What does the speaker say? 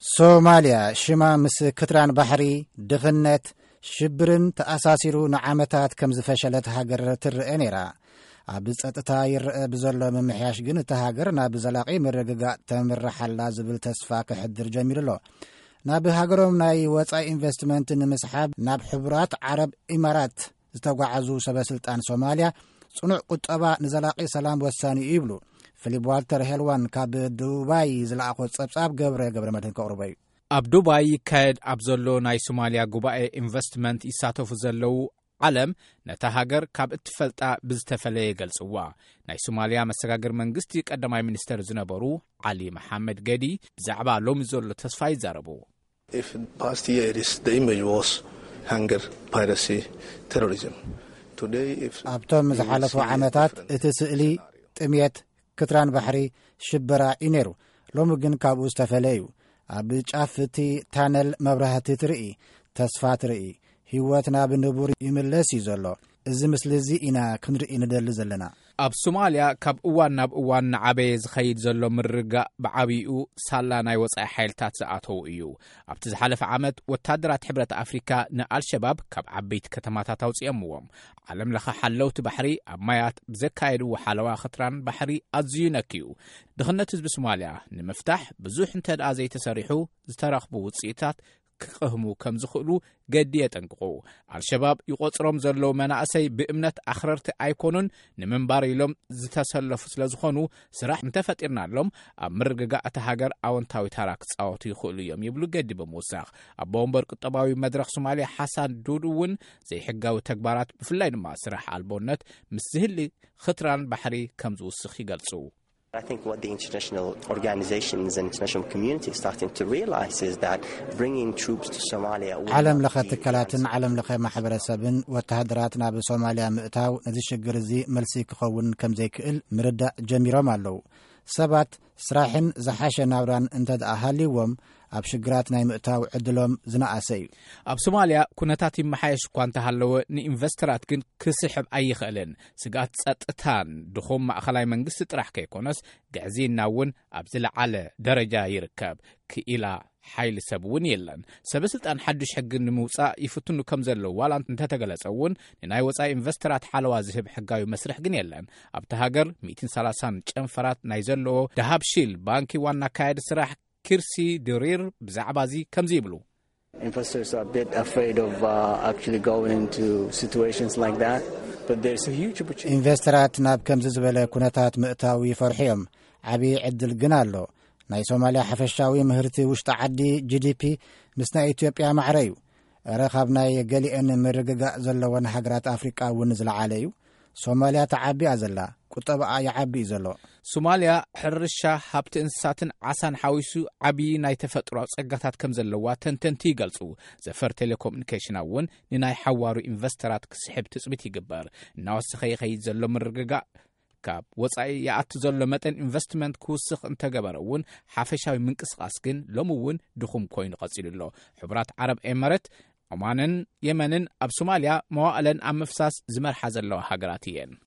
ሶማልያ ሽማ ምስ ክትራን ባሕሪ፣ ድኽነት፣ ሽብርን ተኣሳሲሩ ንዓመታት ከም ዝፈሸለት ሃገር ትረአ ነይራ። ኣብ ጸጥታ ይረአ ብዘሎ ምምሕያሽ ግን እታ ሃገር ናብ ዘላቒ ምርግጋእ ተምርሓላ ዝብል ተስፋ ክሕድር ጀሚሩ ኣሎ። ናብ ሃገሮም ናይ ወጻኢ ኢንቨስትመንት ንምስሓብ ናብ ሕቡራት ዓረብ ኢማራት ዝተጓዓዙ ሰበ ስልጣን ሶማልያ፣ ጽኑዕ ቁጠባ ንዘላቒ ሰላም ወሳኒ እዩ ይብሉ። ፊሊፕ ዋልተር ሄልዋን ካብ ዱባይ ዝለኣኾ ጸብጻብ ገብረ ገብረ መድህን ከቕርቦ እዩ። ኣብ ዱባይ ይካየድ ኣብ ዘሎ ናይ ሶማልያ ጉባኤ ኢንቨስትመንት ይሳተፉ ዘለዉ ዓለም ነታ ሃገር ካብ እትፈልጣ ብዝተፈለየ ይገልጽዋ። ናይ ሶማልያ መሰጋገሪ መንግስቲ ቀዳማይ ሚኒስተር ዝነበሩ ዓሊ መሓመድ ገዲ ብዛዕባ ሎሚ ዘሎ ተስፋ ይዛረቡ። If past year is the image was hunger, piracy, terrorism. Today, if ኣብቶም ዝሓለፉ ዓመታት እቲ ስእሊ ጥሜት፣ ክትራን ባሕሪ፣ ሽበራ እዩ ነይሩ። ሎሚ ግን ካብኡ ዝተፈለ እዩ። ኣብ ጫፍ እቲ ታነል መብራህቲ ትርኢ፣ ተስፋ ትርኢ። ህይወት ናብ ንቡር ይምለስ እዩ ዘሎ። እዚ ምስሊ እዚ ኢና ክንርኢ ንደሊ ዘለና። ኣብ ሶማልያ ካብ እዋን ናብ እዋን ንዓበየ ዝኸይድ ዘሎ ምርግጋእ ብዓብይኡ ሳላ ናይ ወጻኢ ሓይልታት ዝኣተዉ እዩ። ኣብቲ ዝሓለፈ ዓመት ወታደራት ሕብረት ኣፍሪካ ንኣልሸባብ ካብ ዓበይቲ ከተማታት ኣውፅኦምዎም። ዓለም ለኸ ሓለውቲ ባሕሪ ኣብ ማያት ብዘካየድዎ ሓለዋ ክትራን ባሕሪ ኣዝዩ ነክዩ። ድኽነት ህዝቢ ሶማልያ ንምፍታሕ ብዙሕ እንተ ደኣ ዘይተሰሪሑ ዝተረኽቡ ውፅኢታት ክቕህሙ ከም ዝኽእሉ ገዲ የጠንቅቑ። ኣልሸባብ ይቖጽሮም ዘለዉ መናእሰይ ብእምነት ኣኽረርቲ ኣይኮኑን፣ ንምንባር ኢሎም ዝተሰለፉ ስለ ዝኾኑ ስራሕ እንተፈጢርናሎም ኣብ ምርግጋእ እታ ሃገር ኣወንታዊ ታራ ክጻወቱ ይኽእሉ እዮም ይብሉ ገዲ ብምውሳኽ። ኣቦ ወንበር ቁጠባዊ መድረኽ ሶማልያ ሓሳን ዱድ እውን ዘይሕጋዊ ተግባራት ብፍላይ ድማ ስራሕ ኣልቦነት ምስ ዝህሊ ኽትራን ባሕሪ ከም ዝውስኽ ይገልጹ። I think what the international organizations and international community is starting to realize is that bringing troops to Somalia will ዓለም not ለኸ be ትካላትን ዓለም ለኸ ማሕበረሰብን ወተሃደራት ናብ ሶማልያ ምእታው ነዚ ሽግር እዚ መልሲ ክኸውን ከም ዘይክእል ምርዳእ ጀሚሮም ኣለዉ። ሰባት ስራሕን ዝሓሸ ናብራን እንተ ደኣ ሃልይዎም ኣብ ሽግራት ናይ ምእታው ዕድሎም ዝነኣሰ እዩ። ኣብ ሶማልያ ኩነታት ይመሓየሽ እኳ እንተሃለወ ንኢንቨስተራት ግን ክስሕብ ኣይኽእልን። ስግኣት ጸጥታን ድኹም ማእኸላይ መንግስቲ ጥራሕ ከይኮነስ ግዕዝይና እውን ኣብ ዝለዓለ ደረጃ ይርከብ። ክኢላ ሓይሊ ሰብ እውን የለን። ሰበ ስልጣን ሓዱሽ ሕጊ ንምውፃእ ይፍትኑ ከም ዘለዉ ዋላ እንተተገለጸ እውን ንናይ ወፃኢ ኢንቨስተራት ሓለዋ ዝህብ ሕጋዊ መስርሕ ግን የለን። ኣብቲ ሃገር ሚእትን ሰላሳን ጨንፈራት ናይ ዘለዎ ዳሃብ ሺል ባንኪ ዋና ኣካያዲ ስራሕ ኪርሲ ድሪር ብዛዕባ እዚ ከምዚ ይብሉ። Investors are a bit afraid of uh, actually going into situations like that, but there's a huge opportunity. ኢንቨስተራት ናብ ከምዚ ዝበለ ኩነታት ምእታው ይፈርሑ እዮም። ዓብዪ ዕድል ግን ኣሎ። ናይ ሶማልያ ሓፈሻዊ ምህርቲ ውሽጢ ዓዲ ጂ ዲ ፒ ምስ ናይ ኢትዮጵያ ማዕረ እዩ። እረ ካብ ናይ ገሊአን ምርግጋእ ዘለወን ሃገራት ኣፍሪቃ እውን ዝለዓለ እዩ። ሶማልያ ተዓቢ እያ ዘላ፣ ቁጠባኣ ይዓቢ እዩ ዘሎ። ሶማልያ ሕርሻ፣ ሃብቲ እንስሳትን ዓሳን ሓዊሱ ዓብዪ ናይ ተፈጥሮኣዊ ጸጋታት ከም ዘለዋ ተንተንቲ ይገልጹ። ዘፈር ቴሌኮሙኒኬሽን እውን ንናይ ሓዋሩ ኢንቨስተራት ክስሕብ ትጽቢት ይግበር። እናወሰኸ ይኸይድ ዘሎ ምርግጋእ ካብ ወጻኢ ይኣቲ ዘሎ መጠን ኢንቨስትመንት ክውስኽ እንተገበረ እውን ሓፈሻዊ ምንቅስቓስ ግን ሎሚ እውን ድኹም ኮይኑ ቀጺሉ ኣሎ። ሕቡራት ዓረብ ኤመረት፣ ኦማንን የመንን ኣብ ሶማልያ መዋእለን ኣብ ምፍሳስ ዝመርሓ ዘለዋ ሃገራት እየን።